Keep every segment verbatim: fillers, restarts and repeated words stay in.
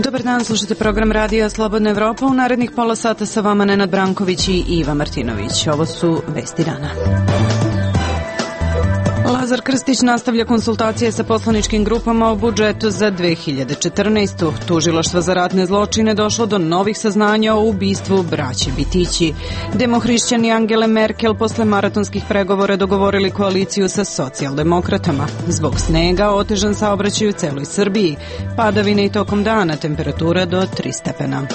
Dobar dan, slušate program Radija Slobodna Evropa. U narednih pola sata sa vama Nenad Branković i Iva Martinović. Ovo su vesti dana. Lazar Krstić nastavlja konsultacije sa poslaničkim grupama o budžetu za dve hiljade četrnaestu. Tužilaštvo za ratne zločine došlo do novih saznanja o ubistvu braće Bitići. Demohrišćani Angele Merkel posle maratonskih pregovora dogovorili koaliciju sa socijaldemokratama. Zbog snega otežan saobraćaj u celoj Srbiji. Padavine i tokom dana, temperatura do tri stepena.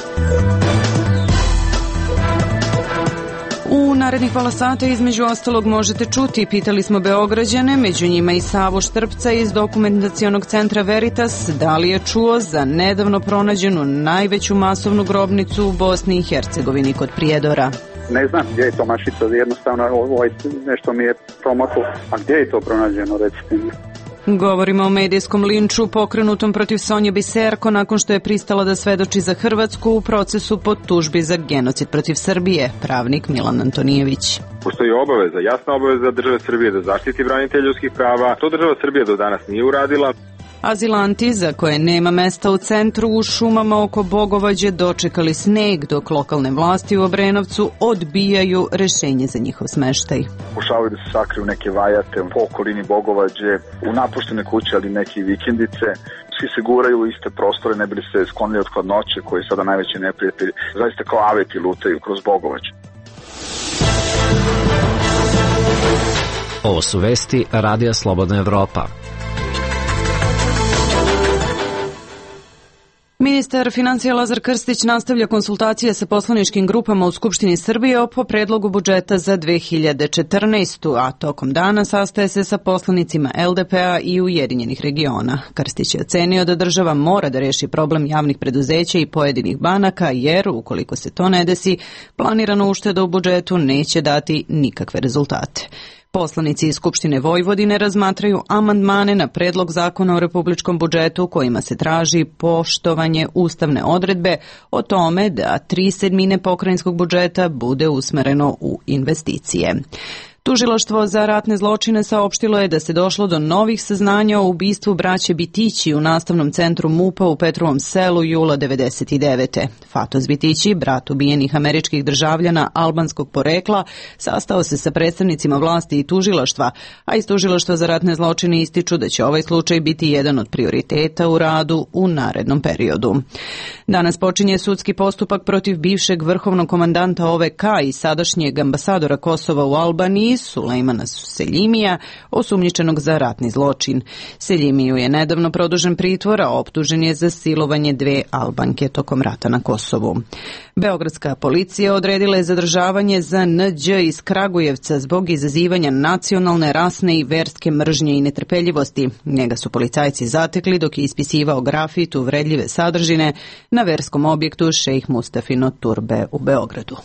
U narednih pola sata između ostalog možete čuti, pitali smo Beograđane, među njima i Savu Štrpca iz dokumentacionog centra Veritas, da li je čuo za nedavno pronađenu najveću masovnu grobnicu u Bosni i Hercegovini kod Prijedora. Ne znam gdje je to mašica, jednostavno ovaj, nešto mi je promaklo. A gdje je to pronađeno, recite mi? Govorimo o medijskom linču pokrenutom protiv Sonje Biserko nakon što je pristala da svedoči za Hrvatsku u procesu po tužbi za genocid protiv Srbije, pravnik Milan Antonijević. Postoji obaveza, jasna obaveza države Srbije da zaštiti branitelje ljudskih prava. To država Srbije do danas nije uradila. Azilanti za koje nema mesta u centru u šumama oko Bogovađe dočekali sneg, dok lokalne vlasti u Obrenovcu odbijaju rešenje za njihov smeštaj. Pokušavaju da se sakriju neke vajate po okolini Bogovađe, u napuštene kuće, ali neke vikendice. Svi se guraju u iste prostore, ne bili se sklonili od hladnoće, koji je sada najveći neprijatelj. Zaista kao aveti lutaju kroz Bogovađe. Ovo su vesti Radija Slobodna Evropa. Ministar financija Lazar Krstić nastavlja konsultacije sa poslaničkim grupama u Skupštini Srbije po predlogu budžeta za dve hiljade četrnaestu. a tokom dana sastaje se sa poslanicima el de pe a i Ujedinjenih regiona. Krstić je ocenio da država mora da reši problem javnih preduzeća i pojedinih banaka, jer ukoliko se to ne desi, planirana ušteda u budžetu neće dati nikakve rezultate. Poslanici iz Skupštine Vojvodine razmatraju amandmane na predlog zakona o republičkom budžetu kojima se traži poštovanje ustavne odredbe o tome da tri sedmine pokrajinskog budžeta bude usmereno u investicije. Tužilaštvo za ratne zločine saopštilo je da se došlo do novih saznanja o ubistvu braće Bitići u nastavnom centru MUP-a u Petrovom selu jula devedeset devete. Fatos Bitići, brat ubijenih američkih državljana albanskog porekla, sastao se sa predstavnicima vlasti i tužilaštva, a iz Tužilaštva za ratne zločine ističu da će ovaj slučaj biti jedan od prioriteta u radu u narednom periodu. Danas počinje sudski postupak protiv bivšeg vrhovnog komandanta O V K i sadašnjeg ambasadora Kosova u Albaniji, Sulejmana Seljimija, osumnjičenog za ratni zločin. Seljimiju je nedavno produžen pritvor, a optužen je za silovanje dve Albanke tokom rata na Kosovu. Beogradska policija odredila je zadržavanje za en đe iz Kragujevca zbog izazivanja nacionalne, rasne i verske mržnje i netrpeljivosti. Njega su policajci zatekli dok je ispisivao grafit uvredljive sadržine na verskom objektu Šejh Mustafino Turbe u Beogradu.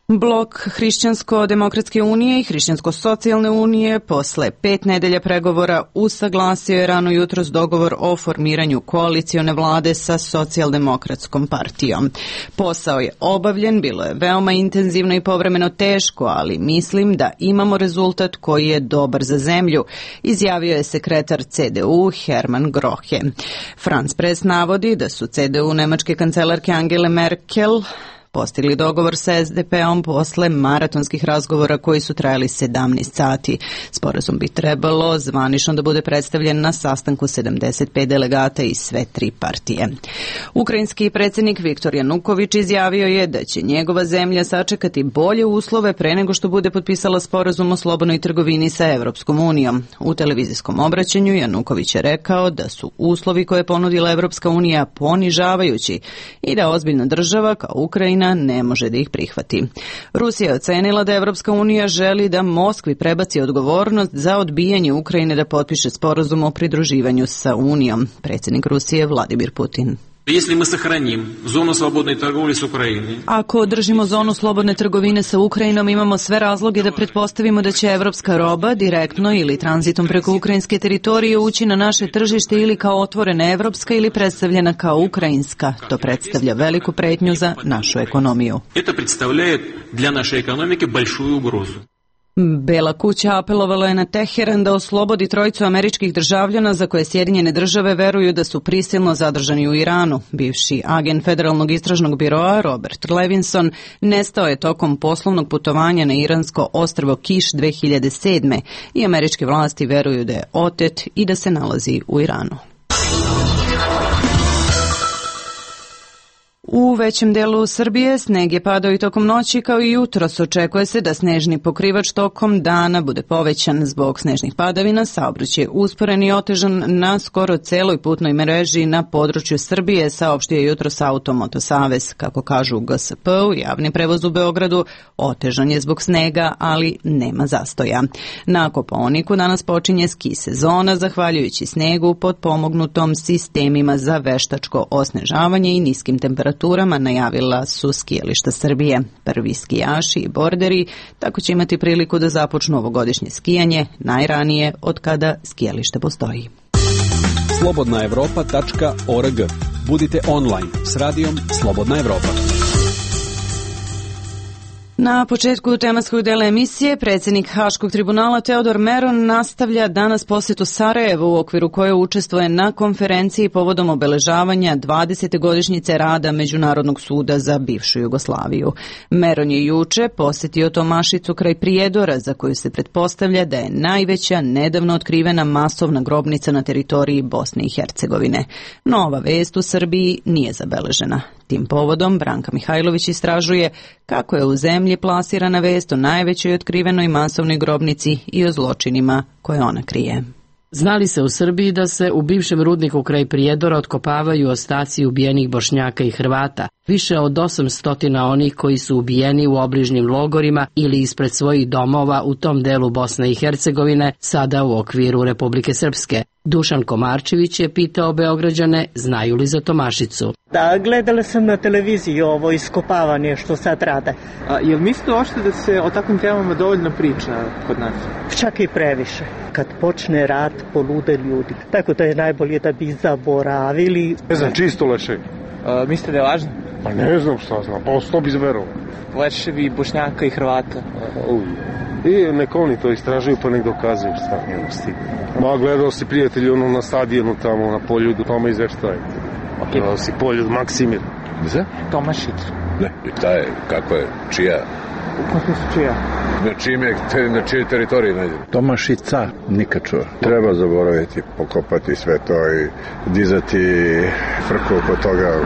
Blok Hrišćansko-demokratske unije i Hrišćansko-socijalne unije posle pet nedelja pregovora usaglasio je rano jutros dogovor o formiranju koalicione vlade sa socijaldemokratskom partijom. Posao je obavljen, bilo je veoma intenzivno i povremeno teško, ali mislim da imamo rezultat koji je dobar za zemlju, izjavio je sekretar ce de u Herman Grohe. France Press navodi da su ce de u nemačke kancelarke Angele Merkel postigli dogovor sa es de pe om posle maratonskih razgovora koji su trajali sedamnaest sati. Sporazum bi trebalo zvanično da bude predstavljen na sastanku sedamdeset pet delegata iz sve tri partije. Ukrajinski predsjednik Viktor Januković izjavio je da će njegova zemlja sačekati bolje uslove pre nego što bude potpisala sporazum o slobodnoj trgovini sa Evropskom unijom. U televizijskom obraćanju Januković je rekao da su uslovi koje je ponudila Evropska unija ponižavajući i da ozbiljna država kao Ukrajina ne može da ih prihvati. Rusija je ocenila da Evropska unija želi da Moskvi prebaci odgovornost za odbijanje Ukrajine da potpiše sporazum o pridruživanju sa Unijom. Predsjednik Rusije Vladimir Putin. Ako održimo zonu slobodne trgovine sa Ukrajinom, imamo sve razloge da pretpostavimo da će evropska roba direktno ili tranzitom preko ukrajinske teritorije ući na naše tržište ili kao otvorena evropska ili predstavljena kao ukrajinska. To predstavlja veliku pretnju za našu ekonomiju. To predstavlja dla naše ekonomike большую ugrozu. Bela kuća apelovala je na Teheran da oslobodi trojicu američkih državljana za koje Sjedinjene države veruju da su prisilno zadržani u Iranu. Bivši agent Federalnog istražnog biroa Robert Levinson nestao je tokom poslovnog putovanja na iransko ostrvo Kiš dve hiljade sedme i američke vlasti veruju da je otet i da se nalazi u Iranu. U većem delu Srbije sneg je padao i tokom noći kao i jutros. Očekuje se da snežni pokrivač tokom dana bude povećan. Zbog snežnih padavina saobraćaj usporen i otežan na skoro celoj putnoj mreži na području Srbije, saopštio je jutros Automoto Savez. Kako kažu u G S P-u, javni prevoz u Beogradu otežan je zbog snega, ali nema zastoja. Na Kopaoniku danas počinje ski sezona, zahvaljujući snegu pod pomognutom sistemima za veštačko osnežavanje i niskim temperaturama, najavila su skijališta Srbije. Prvi skijaši i borderi tako će imati priliku da započnu ovogodišnje skijanje najranije od kada skijalište postoji. slobodna evropa tačka org. Budite online s radijom Slobodna Evropa. Na početku tematskog dela emisije predsjednik Haškog tribunala Teodor Meron nastavlja danas posjetu Sarajevu u okviru koje učestvuje na konferenciji povodom obeležavanja dvadesete godišnjice rada Međunarodnog suda za bivšu Jugoslaviju. Meron je juče posjetio Tomašicu kraj Prijedora, za koju se pretpostavlja da je najveća nedavno otkrivena masovna grobnica na teritoriji Bosne i Hercegovine. Nova vest u Srbiji nije zabeležena. Tim povodom Branka Mihajlović istražuje kako je u zemlji plasirana vest o najvećoj otkrivenoj masovnoj grobnici i o zločinima koje ona krije. Znali se u Srbiji da se u bivšem rudniku kraj Prijedora otkopavaju ostaci ubijenih Bošnjaka i Hrvata. Više od osamsto onih koji su ubijeni u obližnjim logorima ili ispred svojih domova u tom delu Bosne i Hercegovine, sada u okviru Republike Srpske. Dušan Komarčević je pitao Beograđane znaju li za Tomašicu. Da, gledala sam na televiziji ovo iskopavanje što sad rade. A, jel mislite ošte da se o takvim temama dovoljno priča kod nas? Čak i previše. Kad počne rat, polude ljudi. Tako da je najbolje da bi zaboravili. Ne znam, čisto leševi. A, mislite da je važno? Pa ne znam šta znam, pa sto bi zverovao. Leševi Bošnjaka i Hrvata. I nek oni to istražuju pa nek dokazuju šta njemu stigne. Ma gledao si prijatelji ono na stadionu tamo na Poljudu, tamo izveštaje. Okay. Gledao si Poljud Maksimir. Za? Tomašicu. Ne, i ta je, kako je, čija? U kako su čija? Na čime, te, na čije teritorije najde? Tomašica, nikad čuo. Treba zaboraviti, pokopati sve to i dizati frku oko toga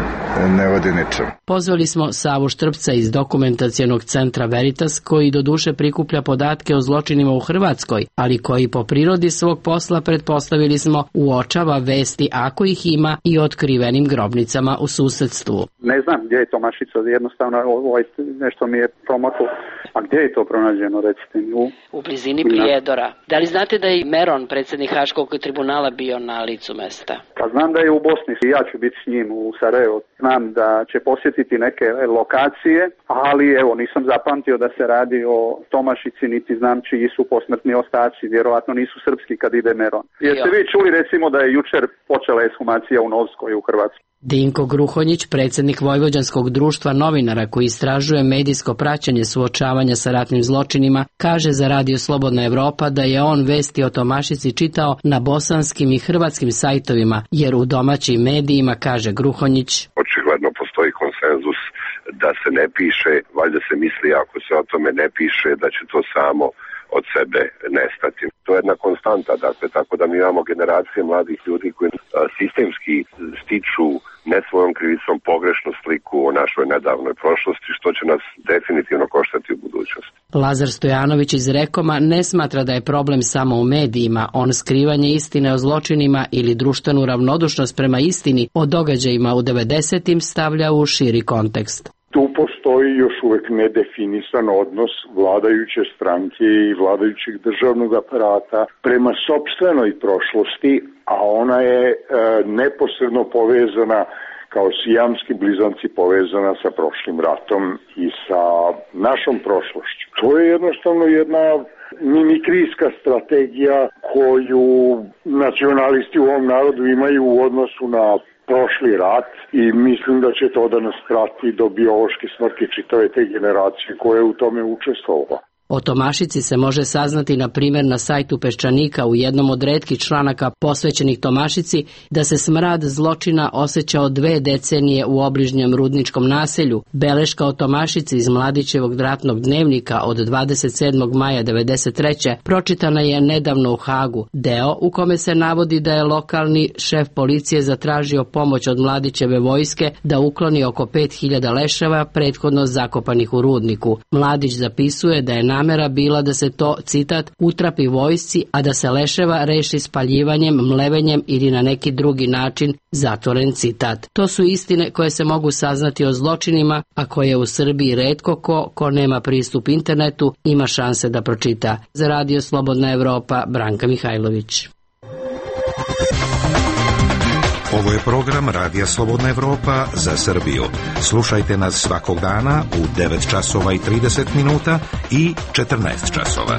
ne vodi ničem. Pozvali smo Savu Štrpca iz dokumentacionog centra Veritas, koji doduše prikuplja podatke o zločinima u Hrvatskoj, ali koji po prirodi svog posla, pretpostavili smo, uočava vesti, ako ih ima, i otkrivenim grobnicama u susedstvu. Ne znam gdje je Tomašica, jednostavno ovaj, nešto mi je promaklo. A gdje je to pronađeno, recite mi? U, u blizini Prijedora. Da li znate da je Meron, predsjednik Haškog tribunala, bio na licu mesta? Pa znam da je u Bosni, ja ću biti s njim u Sarajevu. Znam da će posjetiti neke lokacije, ali evo nisam zapamtio da se radi o Tomašici, niti znam čiji su posmrtni ostaci, vjerovatno nisu srpski kad ide Meron. Jeste vi čuli recimo da je jučer počela ekshumacija u Novskoj u Hrvatskoj? Dinko Gruhonjić, predsjednik Vojvođanskog društva novinara koji istražuje medijsko praćenje suočavanja sa ratnim zločinima, kaže za Radio Slobodna Evropa da je on vesti o Tomašici čitao na bosanskim i hrvatskim sajtovima, jer u domaćim medijima, kaže Gruhonjić, očigledno postoji konsenzus da se ne piše, valjda se misli ako se o tome ne piše da će to samo od sebe nestati. To je jedna konstanta, dakle, tako da mi imamo generacije mladih ljudi koji sistemski stiču ne svojom krivicom pogrešnu sliku o našoj nedavnoj prošlosti, što će nas definitivno koštati u budućnosti. Lazar Stojanović iz Rekoma ne smatra da je problem samo u medijima. On skrivanje istine o zločinima ili društvenu ravnodušnost prema istini o događajima u devedesetim stavlja u širi kontekst. Tu postoji još uvek nedefinisan odnos vladajuće stranke i vladajućeg državnog aparata prema sopstvenoj prošlosti, a ona je e, neposredno povezana kao sijamski blizanci povezana sa prošlim ratom i sa našom prošlošću. To je jednostavno jedna mimikrijska strategija koju nacionalisti u ovom narodu imaju u odnosu na prošli rat i mislim da će to da nas prati do biološke smrti čitave te generacije koje u tome učestvovala. O Tomašici se može saznati na primjer na sajtu Peščanika u jednom od retkih članaka posvećenih Tomašici da se smrad zločina osjećao dve decenije u obližnjem rudničkom naselju. Beleška o Tomašici iz Mladićevog ratnog dnevnika od dvadeset sedmog maja devedeset treće pročitana je nedavno u Hagu, deo u kome se navodi da je lokalni šef policije zatražio pomoć od Mladićeve vojske da ukloni oko pet hiljada leševa prethodno zakopanih u rudniku. Mladić zapisuje da je namera bila da se to, citat, utrapi vojsci, a da se leševa reši spaljivanjem, mlevenjem ili na neki drugi način, zatvoren citat. To su istine koje se mogu saznati o zločinima, a koje u Srbiji retko ko, ko nema pristup internetu, ima šanse da pročita. Za Radio Slobodna Evropa, Branka Mihajlović. Ovo je program Radija Slobodna Evropa za Srbiju. Slušajte nas svakog dana u devet časova i trideset minuta i četrnaest časova.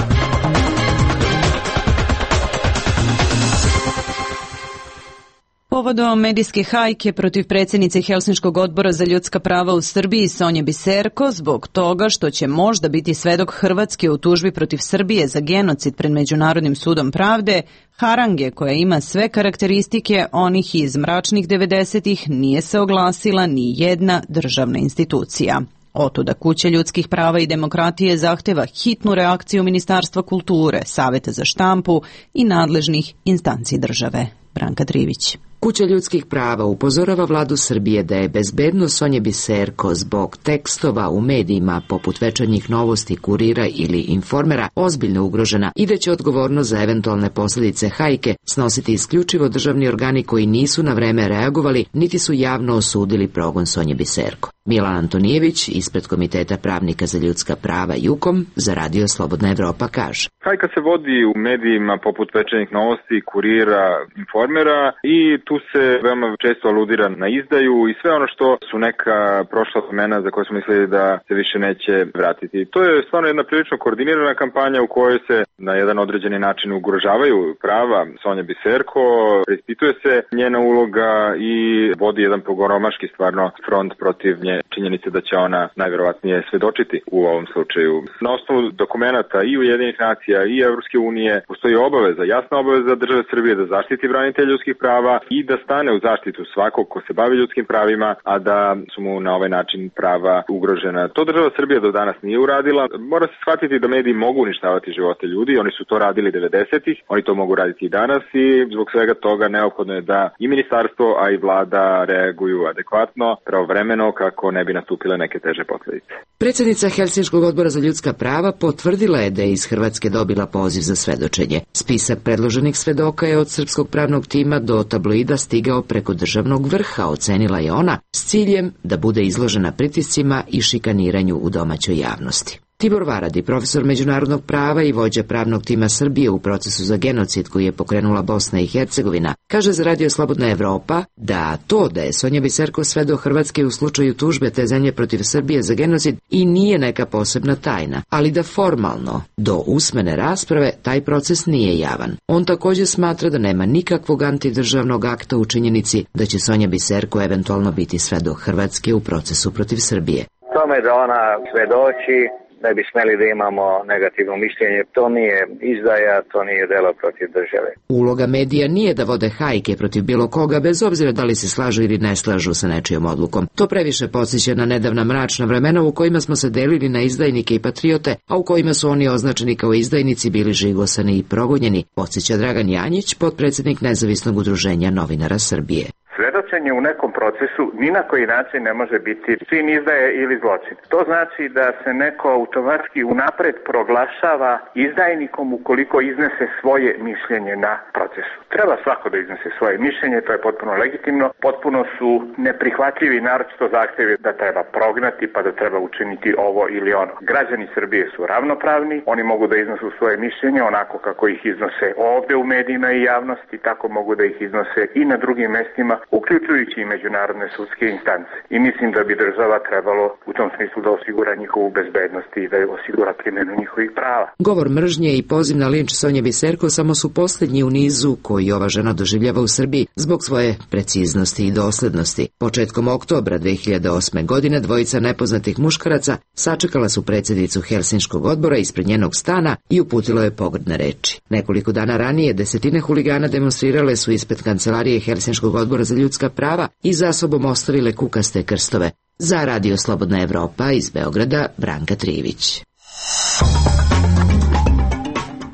Povodom medijske hajke protiv predsjednice Helsinškog odbora za ljudska prava u Srbiji Sonje Biserko zbog toga što će možda biti svedok Hrvatske u tužbi protiv Srbije za genocid pred Međunarodnim sudom pravde, harange koja ima sve karakteristike onih iz mračnih devedesetih nije se oglasila ni jedna državna institucija. Otuda Kuća ljudskih prava i demokratije zahteva hitnu reakciju Ministarstva kulture, Saveta za štampu i nadležnih instanci države. Branka Trivić. Kuća ljudskih prava upozorava vladu Srbije da je bezbednost Sonje Biserko zbog tekstova u medijima poput Večernjih novosti, Kurira ili Informera ozbiljno ugrožena i da će odgovornost za eventualne posljedice hajke snositi isključivo državni organi koji nisu na vreme reagovali niti su javno osudili progon Sonje Biserko. Milan Antonijević, ispred Komiteta pravnika za ljudska prava Jukom, za Radio Slobodna Evropa kaže. Hajka se vodi u medijima poput Večernjih novosti, Kurira, Informera i tu se veoma često aludira na izdaju i sve ono što su neka prošla vremena za koje smo mislili da se više neće vratiti. To je stvarno jedna prilično koordinirana kampanja u kojoj se na jedan određeni način ugrožavaju prava Sonje Biserko, preispituje se njena uloga i vodi jedan pogoromaški stvarno front protiv nje činjenice da će ona najverovatnije svedočiti u ovom slučaju. Na osnovu dokumenata i Ujedinjenih nacija i Evropske unije postoji obaveza, jasna obaveza države Srbije da zaštiti branitelje ljudskih prava i da stane u zaštitu svakog ko se bavi ljudskim pravima, a da su mu na ovaj način prava ugrožena. To država Srbija do danas nije uradila. Mora se shvatiti da mediji mogu uništavati živote ljudi, oni su to radili devedesetih, oni to mogu raditi i danas i zbog svega toga neophodno je da i ministarstvo, a i vlada reaguju adekvatno, pravovremeno kako ne bi nastupile neke teže posljedice. Predsjednica Helsinškog odbora za ljudska prava potvrdila je da je iz Hrvatske dobila poziv za svedočenje. Spisak predloženih svedoka je od srpskog pravnog tima do tabloida stigao preko državnog vrha, ocenila je ona, s ciljem da bude izložena pritiscima i šikaniranju u domaćoj javnosti. Tibor Varadi, profesor međunarodnog prava i vođa pravnog tima Srbije u procesu za genocid koji je pokrenula Bosna i Hercegovina, kaže za Radio Slobodna Evropa da to da je Sonja Biserko svedok Hrvatske u slučaju tužbe te zemlje protiv Srbije za genocid i nije neka posebna tajna, ali da formalno, do usmene rasprave, taj proces nije javan. On također smatra da nema nikakvog antidržavnog akta u činjenici da će Sonja Biserko eventualno biti svedok Hrvatske u procesu protiv Srbije. Tome da ona svedoči, ne bi smeli da imamo negativno mišljenje. To nije izdaja, to nije delo protiv države. Uloga medija nije da vode hajke protiv bilo koga, bez obzira da li se slažu ili ne slažu sa nečijom odlukom. To previše podsjeća na nedavna mračna vremena u kojima smo se delili na izdajnike i patriote, a u kojima su oni označeni kao izdajnici bili žigosani i progonjeni, podsjeća Dragan Janjić, potpredsjednik Nezavisnog udruženja novinara Srbije. Svedočenje u nekom procesu ni na koji način ne može biti čin izdaje ili zločin. To znači da se neko automatski unapred proglašava izdajnikom ukoliko iznese svoje mišljenje na procesu. Treba svako da iznese svoje mišljenje, to je potpuno legitimno. Potpuno su neprihvatljivi naročito zahtevi da treba prognati pa da treba učiniti ovo ili ono. Građani Srbije su ravnopravni, oni mogu da iznosu svoje mišljenje onako kako ih iznose ovde u medijima i javnosti, tako mogu da ih iznose i na drugim mestima uključujući i međunarodne sudske instance. I mislim da bi država trebalo u tom smislu da osigura njihovu bezbednost i da osigura primjenu njihovih prava. Govor mržnje i poziv na linč Sonje Biserko samo su posljednji u nizu koji ova žena doživljava u Srbiji zbog svoje preciznosti i doslednosti. Početkom oktobra dve hiljade osme. godine dvojica nepoznatih muškaraca sačekala su predsjednicu Helsinškog odbora ispred njenog stana i uputilo je pogrdne reči. Nekoliko dana ranije desetine huligana demonstrirale su ispred kancelarije Helsinškog odbora za ljudska prava i za sobom ostavile kukaste krstove. Za Radio Slobodna Evropa iz Beograda, Branka Trivić.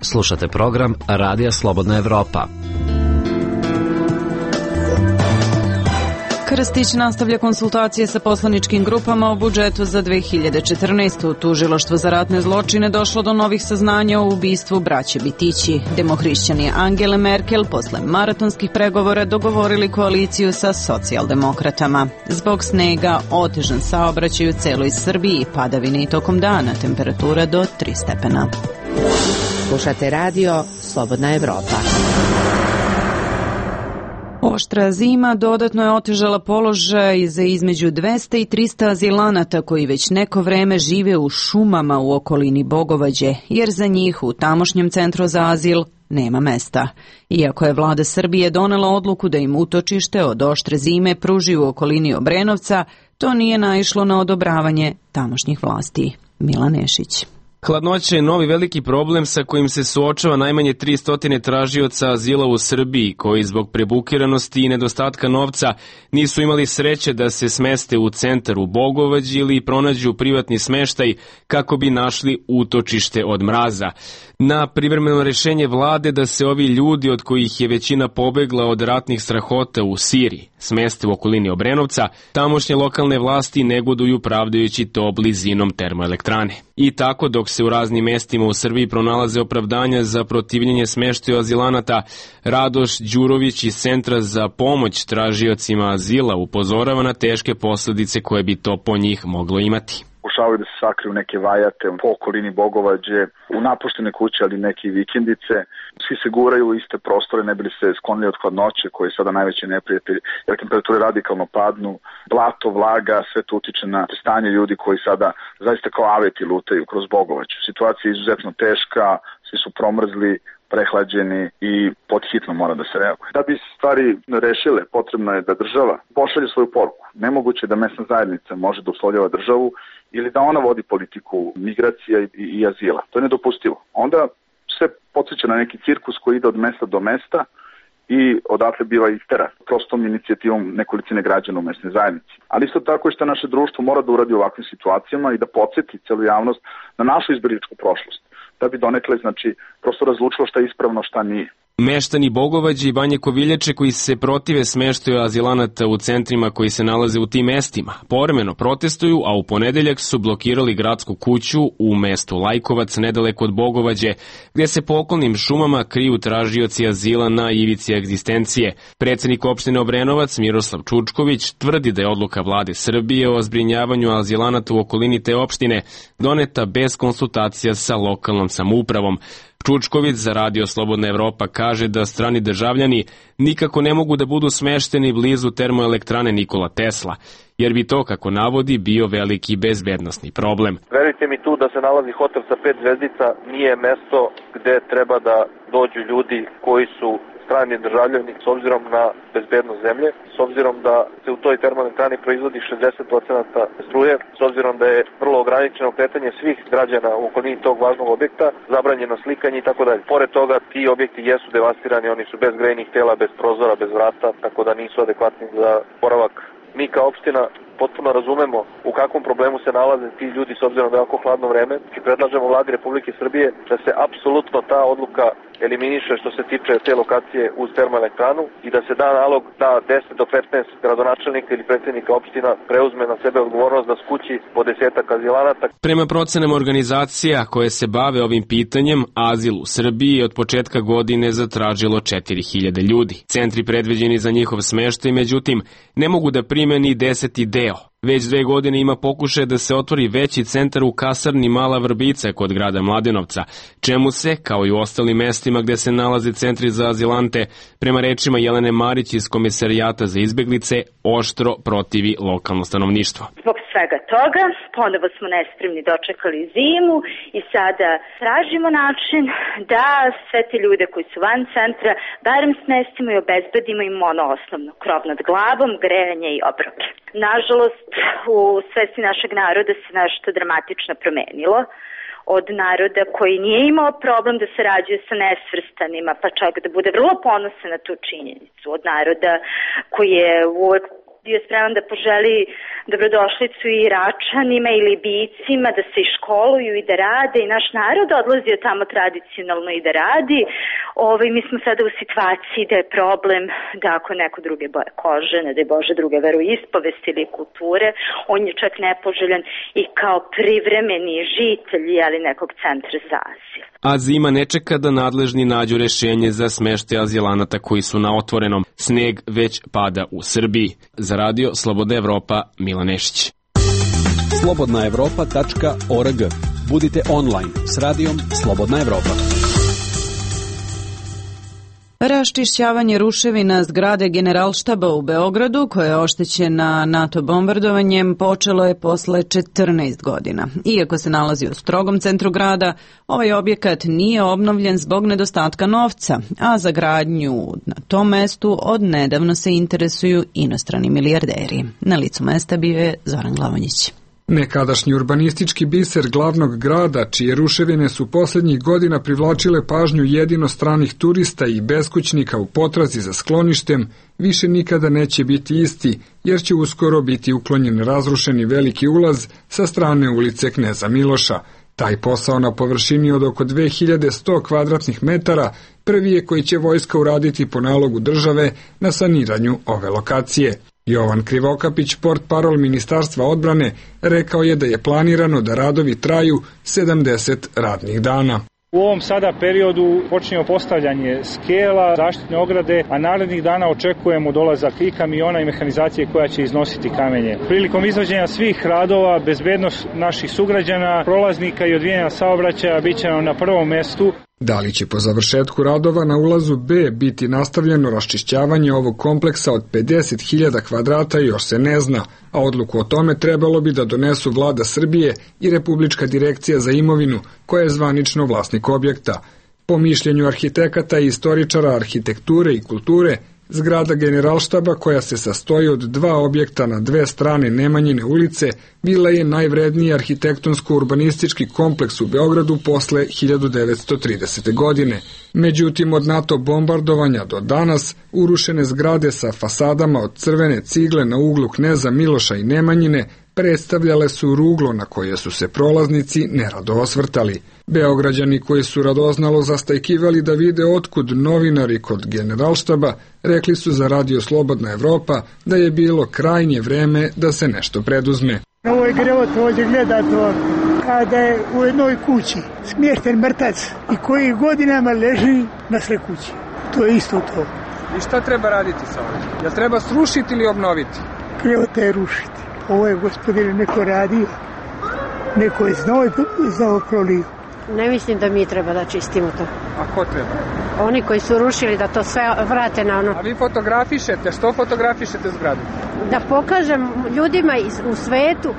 Slušate program Radija Slobodna Evropa. Krstić nastavlja konsultacije sa poslaničkim grupama o budžetu za dve hiljade četrnaestu. Tužilaštvo za ratne zločine došlo do novih saznanja o ubistvu braće Bitići. Demohrišćani Angele Merkel posle maratonskih pregovora dogovorili koaliciju sa socijaldemokratama. Zbog snega otežan saobraćaj u celoj Srbiji, padavine i tokom dana, temperatura do tri stepena. Slušate radio Slobodna Evropa. Oštra zima dodatno je otežala položaj za između dvesta i trista azilanata koji već neko vreme žive u šumama u okolini Bogovađe, jer za njih u tamošnjem centru za azil nema mesta. Iako je vlada Srbije donela odluku da im utočište od oštre zime pruži u okolini Obrenovca, to nije naišlo na odobravanje tamošnjih vlasti. Milan Nešić. Hladnoća je novi veliki problem sa kojim se suočava najmanje tristo tražioca azila u Srbiji, koji zbog prebukiranosti i nedostatka novca nisu imali sreće da se smeste u centar u Bogovađi ili pronađu privatni smeštaj kako bi našli utočište od mraza. Na privremeno rešenje vlade da se ovi ljudi, od kojih je većina pobegla od ratnih strahota u Siriji, smeste u okolini Obrenovca, tamošnje lokalne vlasti negoduju pravdajući to blizinom termoelektrane. I tako, dok se u raznim mestima u Srbiji pronalaze opravdanja za protivljenje smeštaju azilanata, Radoš Đurović iz Centra za pomoć tražiocima azila upozorava na teške posljedice koje bi to po njih moglo imati. Pokušavaju da se sakriju neke vajate po okolini Bogovađe, u napuštene kuće, ali neke vikendice. Svi se guraju u iste prostore, ne bili se sklonili od hladnoće, koji je sada najveći neprijatelj, jer temperature radikalno padnu, blato, vlaga, sve to utiče na stanje ljudi koji sada zaista kao aveti lutaju kroz Bogovađu. Situacija je izuzetno teška, svi su promrzli, prehlađeni i podhitno mora da se reaguje. Da bi stvari rešile, potrebno je da država pošalje svoju poruku. Nemoguće da mesna zajednica može da uslovljava državu ili da ona vodi politiku migracija i, i azila. To je nedopustivo. Onda sve podsjeća na neki cirkus koji ide od mesta do mesta i odatle biva istera prostom inicijativom nekolicine građana u mesnoj zajednici. Ali isto tako je što naše društvo mora da uradi u ovakvim situacijama i da podsjeti celu javnost na našu izbjegličku prošlost, da bi donekle, znači, prosto razlučilo šta je ispravno, šta nije. Meštani Bogovađe i Banje Koviljače koji se protive smeštaju azilanata u centrima koji se nalaze u tim mestima povremeno protestuju, a u ponedeljak su blokirali gradsku kuću u mestu Lajkovac nedaleko od Bogovađe, gdje se po okolnim šumama kriju tražioci azila na ivici egzistencije. Predsednik opštine Obrenovac Miroslav Čučković tvrdi da je odluka vlade Srbije o zbrinjavanju azilanata u okolini te opštine doneta bez konsultacija sa lokalnom samoupravom. Čučković za Radio Slobodna Evropa kaže da strani državljani nikako ne mogu da budu smešteni blizu termoelektrane Nikola Tesla, jer bi to, kako navodi, bio veliki bezbednosni problem. Verujte mi, tu da se nalazi hotel sa pet zvezdica nije mesto gde treba da dođu ljudi koji su strani državljani s obzirom na bezbednost zemlje, s obzirom da se u toj termoelektrani proizvodi šezdeset procenata struje, s obzirom da je vrlo ograničeno kretanje svih građana u okolini tog važnog objekta, zabranjeno slikanje i tako dalje. Pored toga, ti objekti jesu devastirani, oni su bez grejnih tela, bez prozora, bez vrata, tako da nisu adekvatni za boravak. Mi kao opština potpuno razumemo u kakvom problemu se nalaze ti ljudi s obzirom da je jako hladno vreme i predlažemo vladi Republike Srbije da se apsolutno ta odluka eliminiše što se tiče te lokacije uz termoelektranu i da se da nalog da deset do petnaest gradonačelnika ili predsjednika opština preuzme na sebe odgovornost da skući po desetak azilanata. Prema procenama organizacija koje se bave ovim pitanjem, azil u Srbiji je od početka godine zatražilo četiri hiljade ljudi. Centri predviđeni za njihov smeštaj, međutim, ne mogu da prime ni deseti deo deo. Već dve godine ima pokušaj da se otvori veći centar u kasarni Mala Vrbica kod grada Mladenovca, čemu se, kao i u ostalim mestima gde se nalaze centri za azilante, prema rečima Jelene Marić iz Komisarijata za izbeglice, oštro protivi lokalno stanovništvo. Zbog svega toga, ponovo smo nespremni dočekali zimu i sada tražimo način da sve te ljude koji su van centra barem smestimo i obezbedimo im ono osnovno, krov nad glavom, grejanje i obroke. Nažalost, u svesti našeg naroda se nešto dramatično promenilo. Od naroda koji nije imao problem da se rađuje sa nesvrstanima, pa čak da bude vrlo ponosan na tu činjenicu. Od naroda koji je uvek bio spreman da poželi dobrodošlicu i Iračanima i Libijcima da se i školuju i da rade i naš narod odlazio tamo tradicionalno i da radi. Ovaj, mi smo sada u situaciji da je problem da ako neko druge boje kože, ne daj Bože druge veroispovesti ili kulture, on je čak nepoželjan i kao privremeni žitelj ali nekog centra za azil. A zima ne čeka da nadležni nađu rešenje za smeštaj azilanata koji su na otvorenom. Sneg već pada u Srbiji. Za radio Slobodna Evropa, Milan Nešić. slobodna evropa tačka org. Budite online s radijom Slobodna Evropa. Raščišćavanje ruševina zgrade Generalštaba u Beogradu, koja je oštećena NATO bombardovanjem, počelo je posle četrnaest godina. Iako se nalazi u strogom centru grada, ovaj objekat nije obnovljen zbog nedostatka novca, a za gradnju na tom mestu od nedavno se interesuju inostrani milijarderi. Na licu mesta bio je Zoran Glavonjić. Nekadašnji urbanistički biser glavnog grada, čije ruševine su poslednjih godina privlačile pažnju jedino stranih turista i beskućnika u potrazi za skloništem, više nikada neće biti isti, jer će uskoro biti uklonjen razrušeni veliki ulaz sa strane ulice Kneza Miloša. Taj posao na površini od oko dve hiljade sto kvadratnih metara prvi je koji će vojska uraditi po nalogu države na saniranju ove lokacije. Jovan Krivokapić, portparol Ministarstva odbrane, rekao je da je planirano da radovi traju sedamdeset radnih dana. U ovom sada periodu počinjemo postavljanje skela, zaštitne ograde, a narednih dana očekujemo dolazak i kamiona i mehanizacije koja će iznositi kamenje. Prilikom izvođenja svih radova, bezbednost naših sugrađana, prolaznika i odvijanja saobraćaja bit će nam na prvom mestu. Da li će po završetku radova na ulazu B biti nastavljeno raščišćavanje ovog kompleksa od pedeset hiljada kvadrata još se ne zna, a odluku o tome trebalo bi da donesu Vlada Srbije i Republička direkcija za imovinu, koja je zvanično vlasnik objekta. Po mišljenju arhitekata i istoričara arhitekture i kulture, zgrada Generalštaba, koja se sastoji od dva objekta na dve strane Nemanjine ulice, bila je najvredniji arhitektonsko-urbanistički kompleks u Beogradu posle hiljadu devetsto tridesete. godine. Međutim, od NATO bombardovanja do danas, urušene zgrade sa fasadama od crvene cigle na uglu Kneza Miloša i Nemanjine predstavljale su ruglo na koje su se prolaznici nerado osvrtali. Beograđani koji su radoznalo zastajkivali da vide otkud novinari kod Generalštaba, rekli su za radio Slobodna Evropa da je bilo krajnje vreme da se nešto preduzme. Ovo je grevot ovdje gledate kada je u jednoj kući smješten mrtac i koji godinama leži na sred kući. To je isto to. I šta treba raditi sa ovim? Jel treba srušiti ili obnoviti? Grevota je rušiti. Ovo je, gospodine, neko radio. Neko je znao i znao prolio. Ne mislim da mi treba da čistimo to. A ko treba? Oni koji su rušili da to sve vrate na ono. A vi fotografišete? Što fotografišete zgradu? Da pokažem ljudima u svetu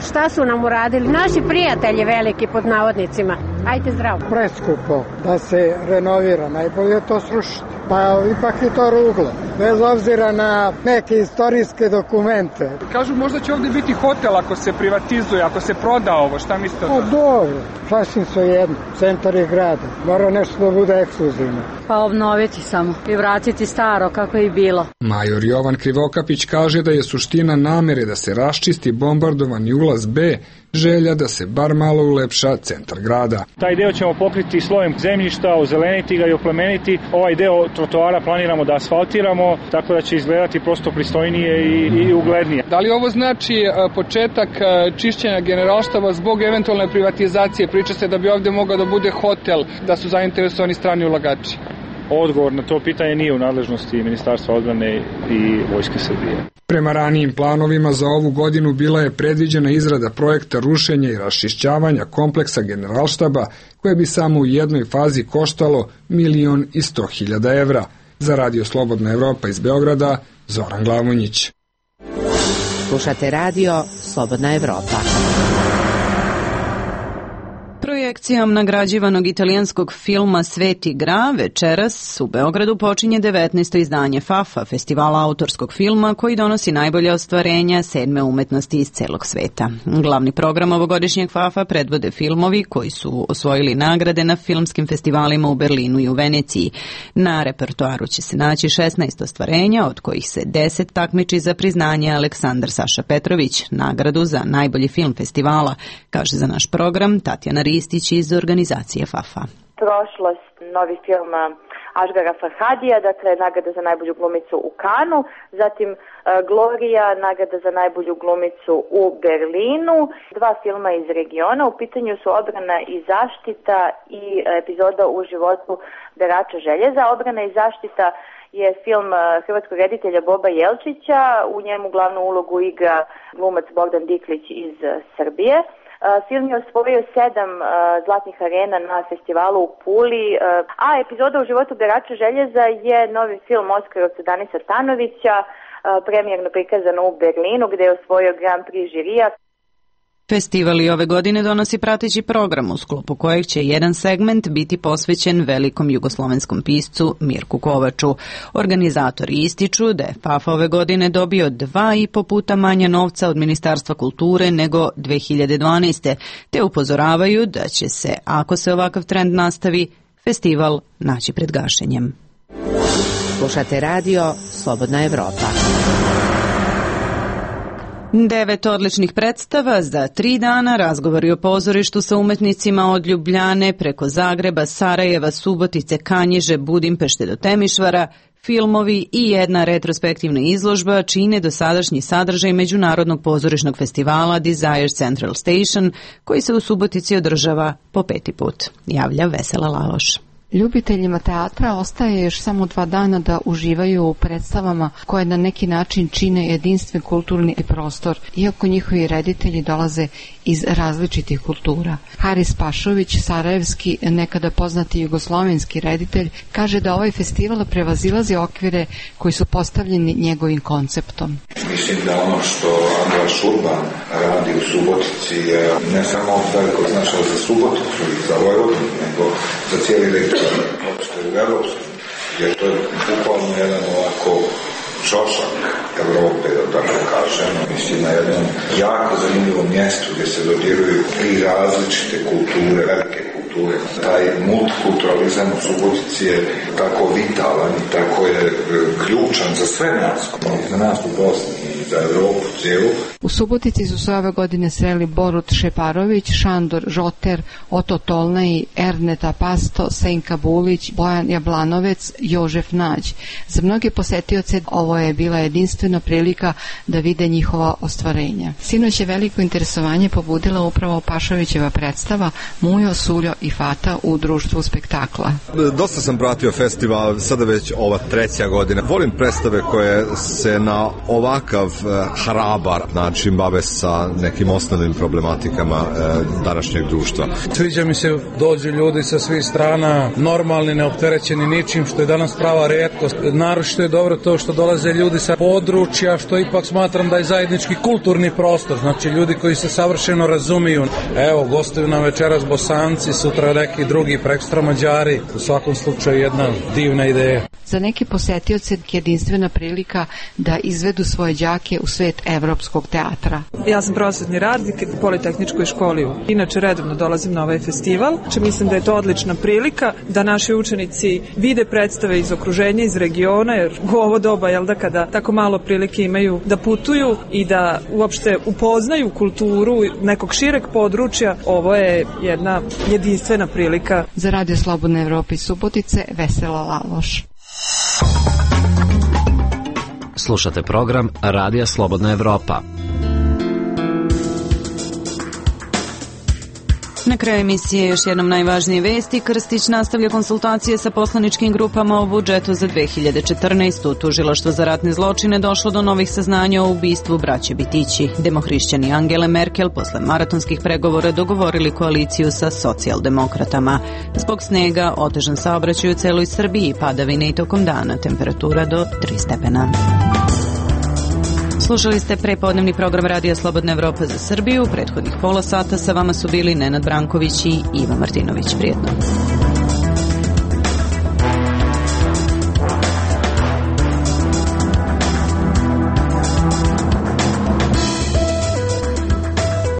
šta su nam uradili. Naši prijatelji veliki pod navodnicima. Ajde zdravo. Preskupo da se renovira. Najbolje je to srušiti. Pa ipak je to ruglo. Bez obzira na neke istorijske dokumente. Kažu možda će ovdje biti hotel ako se privatizuje, ako se proda ovo. Šta mislite o tome? O, dobro. Sasvim svejedno. Centar je grada. Mora nešto da bude ekskluzivno. Pa obnoviti samo i vratiti staro kako je bilo. Major Jovan Krivokapić kaže da je suština namere da se raščisti bombardovani ulaz B želja da se bar malo ulepša centar grada. Taj deo ćemo pokriti slojem zemljišta, ozeleniti ga i oplemeniti. Ovaj deo trotoara planiramo da asfaltiramo, tako da će izgledati prosto pristojnije i, i uglednije. Da li ovo znači početak čišćenja Generalštaba zbog eventualne privatizacije? Priča se da bi ovdje mogao da bude hotel, da su zainteresovani strani ulagači. odgovor na to pitanje nije u nadležnosti Ministarstva odbrane i Vojske Srbije. Prema ranijim planovima za ovu godinu bila je predviđena izrada projekta rušenja i raščišćavanja kompleksa Generalštaba, koje bi samo u jednoj fazi koštalo milion i sto hiljada evra. Za Radio Slobodna Evropa iz Beograda, Zoran Glavonjić. Slušate radio Slobodna Evropa. Projekcijom nagrađivanog italijanskog filma Sveti Gra večeras u Beogradu počinje devetnaesto izdanje FAFA, festivala autorskog filma koji donosi najbolje ostvarenja sedme umetnosti iz celog sveta. Glavni program ovogodišnjeg FAFA predvode filmovi koji su osvojili nagrade na filmskim festivalima u Berlinu i u Veneciji. Na repertoaru će se naći šesnaest ostvarenja, od kojih se deset takmiči za priznanje Aleksandar Saša Petrović, nagradu za najbolji film festivala, kaže za naš program Tatjana Ristić iz organizacije FAFA. Prošlost, novi film Ažgara Farhadija, dakle nagrada za najbolju glumicu u Kanu, zatim Gloria, nagrada za najbolju glumicu u Berlinu, dva filma iz regiona, u pitanju su Obrana i zaštita i epizoda u životu berača željeza. Obrana i zaštita je film hrvatskog reditelja Boba Jelčića, u njemu glavnu ulogu igra glumac Bogdan Diklić iz Srbije. Film je osvojio sedam uh, zlatnih arena na festivalu u Puli, uh, a epizoda u životu berača željeza je novi film Oskarovca Danisa Tanovića, uh, premijerno prikazan u Berlinu gde je osvojio Grand Prix žirija. Festival i ove godine donosi prateći program u sklopu kojeg će jedan segment biti posvećen velikom jugoslovenskom piscu Mirku Kovaču. Organizatori ističu da je FAFA ove godine dobio dva i po puta manje novca od Ministarstva kulture nego dve hiljade dvanaeste. te upozoravaju da će se, ako se ovakav trend nastavi, festival naći pred gašenjem. Slušate radio Slobodna Evropa. Devet odličnih predstava za tri dana, razgovori o pozorištu sa umetnicima od Ljubljane preko Zagreba, Sarajeva, Subotice, Kanjiže, Budimpešte do Temišvara, filmovi i jedna retrospektivna izložba čine dosadašnji sadržaj Međunarodnog pozorišnog festivala Desire Central Station, koji se u Subotici održava po peti put. Javlja Vesela Laloš. Ljubiteljima teatra ostaje još samo dva dana da uživaju u predstavama koje na neki način čine jedinstven kulturni prostor, iako njihovi reditelji dolaze iz različitih kultura. Haris Pašović, sarajevski, nekada poznati jugoslovenski reditelj, kaže da ovaj festival prevazilazi okvire koji su postavljeni njegovim konceptom. Mislim da ono što Andra Šurban radi u Subotici je ne samo veliko značaj za Suboticu i za Vojvodinu, nego za cijeli region, uopšte u Evropsku, jer to je bukvalno jedan ovako čošak Evrope, da tako kažem. Mislim na jednom jako zanimljivom mjestu gdje se dodiruju tri različite kulture, velike kulture. Taj multikulturalizam u Subotici je tako vitalan i tako je ključan za sve nas, za nas u Bosni i za Evropu cijelu. U Subotici su se ove godine sreli Borut Šeparović, Šandor Žoter, Oto Tolnaj, Erneta Pasto, Senka Bulić, Bojan Jablanovec, Jožef Nađ. Za mnoge posetioce ovo je bila jedinstvena prilika da vide njihova ostvarenja. Sinoć je veliko interesovanje pobudila upravo Pašovićeva predstava Mujo, Suljo i Fata u društvu spektakla. Dosta sam pratio festival, sada već ova treća godina. Volim predstave koje se na ovakav hrabar način bave sa nekim osnovnim problematikama današnjeg društva. Sviđa mi se dođu ljudi sa svih strana, normalni, neopterećeni ničim, što je danas prava retkost. Naročito je dobro to što dolaze ljudi sa područja, što ipak smatram da je zajednički kulturni prostor, znači ljudi koji se savršeno razumiju. Evo, gostuju nam večeras Bosanci, sutra neki drugi, prekstra Mađari. U svakom slučaju jedna divna ideja. Za neke posetioce jedinstvena prilika da izvedu svoje đake u svet evropskog teatra. Ja sam prosvetni radnik u Politehničkoj školi. Inače redovno dolazim na ovaj festival. Če mislim da je to odlična prilika da naši učenici vide predstave iz okruženja, iz regiona, jer u ovo doba, jel da, kada tako malo prilike imaju da putuju i da uopšte upoznaju kulturu nekog šireg područja, ovo je jedna jedinstvena prilika. Za Radio Slobodna Evropa iz Subotice, Vesela Laloš. Slušate program Radija Slobodna Evropa. Na kraju emisije još jednom najvažnije vesti. Krstić nastavlja konsultacije sa poslaničkim grupama o budžetu za dve hiljade četrnaestu. Tužilaštvo za ratne zločine došlo do novih saznanja o ubistvu braće Bitići. Demohrišćani Angele Merkel posle maratonskih pregovora dogovorili koaliciju sa socijaldemokratama. Zbog snega otežan saobraćaj u celoj Srbiji, padavine i tokom dana, temperatura do tri stepena. Slušali ste prepodnevni program Radija Slobodna Evropa za Srbiju. U prethodnih pola sata sa vama su bili Nenad Branković i Iva Martinović. Prijetno.